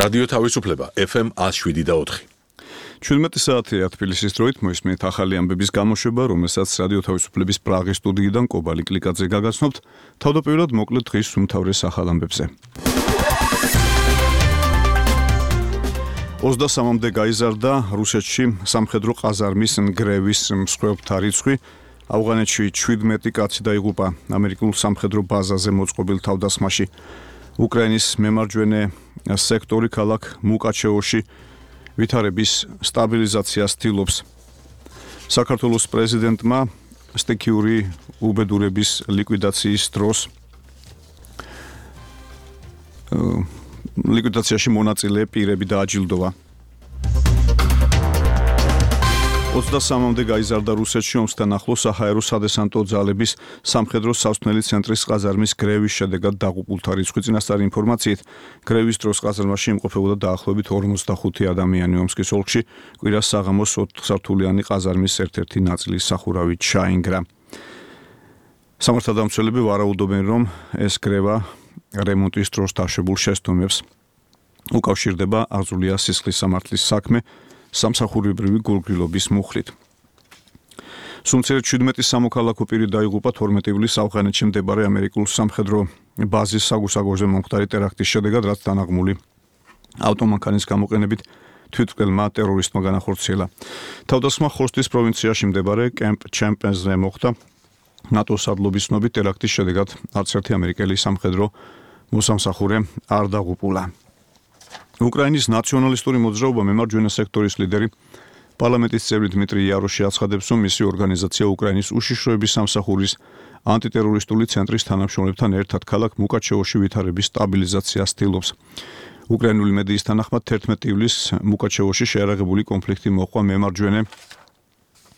რადიო თავისუფლება FM 107.4. 17 საათია თბილისის დროით მოისმენთ ახალი ამბების გამოშვება, რომელსაც რადიო თავისუფლების პრაღის სტუდიიდან კობალი კლიკაძე გაგაცნობთ. თავდაპირველად მოკლედ დღის უმთავრეს ახალ ამბებზე. 23-მდე გაიზარდა რუსეთში სამხედრო ყაზარმის ნგრევის მსხვერპლთა რიცხვი. ავღანეთში 17 კაცი დაიღუპა ამერიკულ სამხედრო ბაზაზე მოწყობილ თავდასხმაში. უკრაინის მემარჯვენე სექტორი ქალაქ მუკაჩევოში ვითარების სტაბილიზაციას ცდილობს. საქართველოს პრეზიდენტმა სტიქიური უბედურების ლიკვიდაციის დროს ლიკვიდაციაში მონაწილე პირები დააჯილდოვა. 23-მდე გაიზარდა რუსეთში ომსთან ახლოს საჰაერო სადესანტო ძალების სამხედრო სასვენელი ცენტრის ყაზარმის გრევის შედეგად დაღუპულთა რიცხვი წინასწარი ინფორმაციით გრევის დროს ყაზარმაში იმყოფებოდა დაახლოებით 45 ადამიანი. ომსკის ოლქში კვირას საღამოს 4-სართულიანი ყაზარმის ერთ-ერთი ნაწილი სახურავით ჩაინგრა. სამართალდამცველები ვარაუდობენ, რომ ეს გრევა რემონტის დროს დაშვებულ შეცდომებს უკავშირდება აზულია სისხლის სამართლის საქმე სამსახურებრივი გულგრილობის მუხლით. სულ 17 სამოქალაქო პირი დაიღუპა 12 ივლისს ავღანეთში მდებარე ამერიკულ სამხედრო ბაზის საგუსაგოზე მომხდარი ტერაქტის შედეგად, რაც დანაღმული ავტომანქანის გამოყენებით თვითმკვლელმა ტერორისტმა განახორციელა. თავდასხმა ხოსტის პროვინციაში მდებარე კემპ ჩემპენზე მოხდა. ნატოს სარდლობის ცნობით ტერაქტის შედეგად არც ერთი ამერიკელი სამხედრო მოსამსახურე არ დაღუპულა. უკრაინის ნაციონალისტური მოძრაობა მემარჯვენე სექტორის ლიდერი პარლამენტის წევრი დმიტრი იაროში აცხადებს, რომ მისი ორგანიზაცია უკრაინის უშიშროების სამსახურის ანტიტერორისტული ცენტრის თანამშრომლებთან ერთად ქალაქ მუკაჩევოში ვითარების სტაბილიზაციას ცდილობს. უკრაინული მედიის თანახმად 11 ივლისს მუკაჩევოში შეარაღებული კონფლიქტი მოჰყვა მემარჯვენე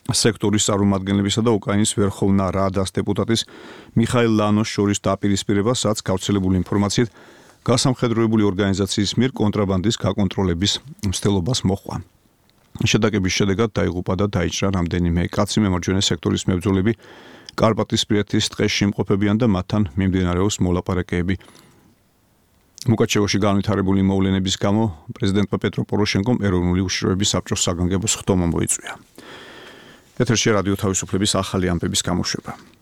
სექტორის წარმომადგენლებისა და უკრაინის ვერხოვნა რადას დეპუტატის მიხაილ ლანოს შორის დაპირისპირებას, რაც გავრცელებული ინფორმაციით გასამხედროებული ორგანიზაციის მიერ კონტრაბანდის გაკონტროლების მცდელობას მოჰყვა. შეტაკების შედეგად დაიღუპა და დაიჭრა რამდენიმე კაცი. მემარჯვენე სექტორის მებრძოლები კარპატისპირეთის ტყეში იმყოფებიან და მათთან მიმდინარეობს მოლაპარაკებები. მუკაჩევოში განვითარებული მოვლენების გამო პრეზიდენტმა პეტრო პოროშენკომ ეროვნული უშიშროების საბჭოს საგანგებო ხდომა მოიწვია. ეთერში რადიო თავისუფლების ახალი ამბების გამოშვება.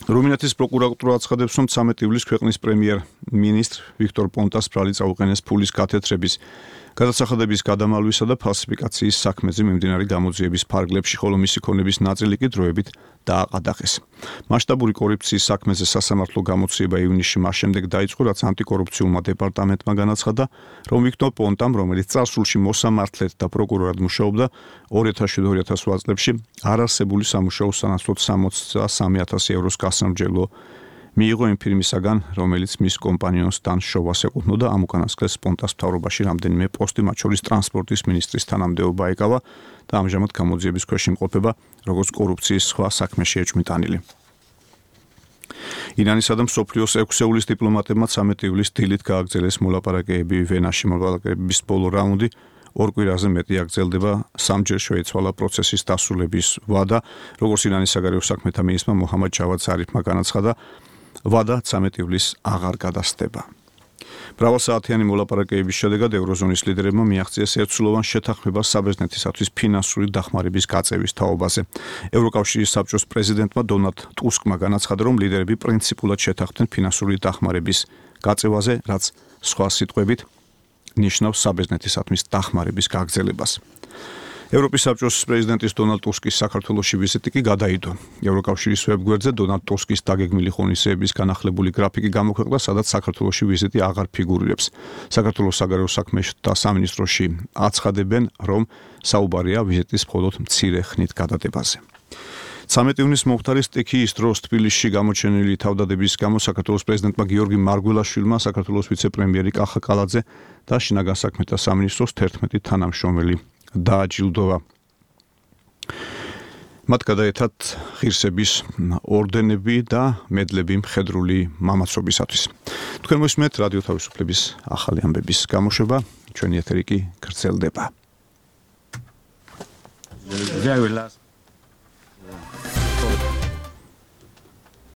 რუმინეთის პროკურატურა აცხადებს, რომ 13 ივლისს ქვეყნის პრემიერ-მინისტრ ვიქტორ პონტას ბრალი წაუყენეს ფულის გათეთრების, გადასახადების გადამალვისა და ფალსიფიკაციის საქმეზე მიმდინარე გამოძიების ფარგლებში, ხოლო მისი ქონების ნაწილი კი დროებით დააყადაღეს. მასშტაბური კორუფციის საქმეზე სასამართლო გამოცდილება ივნისში მას შემდეგ დაიწყო, რაც ანტიკორუფციულმა დეპარტამენტმა განაცხადა, რომ ვიქტორ პონტამ, რომელიც წარსულში მოსამართლედ და პროკურორად მუშაობდა, 2007-2008 წლებში არარსებული სამუშაოს სანაცვლოდ 63,000 ევროს გასამრჯელო მიიღო იმ ფირმისაგან, რომელიც მის კომპანიონსთან შოვას ეკუთვნოდა. ამ უკანასკნელს პონტას მთავრობაში რამდენიმე პოსტი, მათ შორის ტრანსპორტის მინისტრის თანამდებობა ეკავა და ამჟამად გამოძიების ქვეშ იმყოფება, როგორც კორუფციის სხვა საქმეში ეჭვმიტანილი. ირანისა და მსოფლიოს 6-ეულის დიპლომატებმა 13 ივლისს დილით გააგრძელეს მოლაპარაკებები ვენაში. მოლაპარაკებების ბოლო რაუნდი ორ კვირაზე მეტი აგრძელდება. სამჯერ შეიცვალა პროცესის დასრულების ვადა, როგორც ირანის საგარეო საქმეთა მინისტრმა მოჰამად ჯავად ზარიფმა განაცხადა, ვადა 13 ივლისს აღარ გადასდება. მრავალსაათიანი მოლაპარაკებების შედეგად ევროზონის ლიდერებმა მიაღწიეს ერთსულოვან შეთანხმებას საბერძნეთისათვის ფინანსური დახმარების გაწევის თაობაზე. ევროკავშირის საბჭოს პრეზიდენტმა დონალდ ტუსკმა განაცხადა, რომ ლიდერები პრინციპულად შეთანხმდნენ ფინანსური დახმარების გაწევაზე, რაც სხვა სიტყვებით ნიშნავს საბერძნეთისათვის დახმარების გაგრძელებას. ევროპის საბჭოს პრეზიდენტის დონალდ ტუსკის საქართველოში ვიზიტი კი გადაიდო. ევროკავშირის ვებგვერდზე დონალდ ტუსკის დაგეგმილი ღონისძიების განახლებული გრაფიკი გამოქვეყნდა, სადაც საქართველოში ვიზიტი აღარ ფიგურირებს. საქართველოს საგარეო საქმეთა სამინისტროში აცხადებენ, რომ საუბარია ვიზიტის მხოლოდ მცირე ხნით გადადებაზე. 13 ივნისს მომხდარი სტიქიის დროს თბილისში გამოჩენილი თავდადების გამო საქართველოს პრეზიდენტმა გიორგი მარგველაშვილმა, საქართველოს ვიცე-პრემიერი კახა კალაძე და შინაგან საქმეთა სამინისტროს 11 თანამშრომელი დააჯილდოვა. მათ გადაეცათ ღირსების ორდენები და მედლები მხედრული მამაცობისათვის. თქვენ მოსმენთ რადიო თავისუფლების ახალი ამბების გამოშვება, ჩვენი ეთერი კი გრძელდება. Very last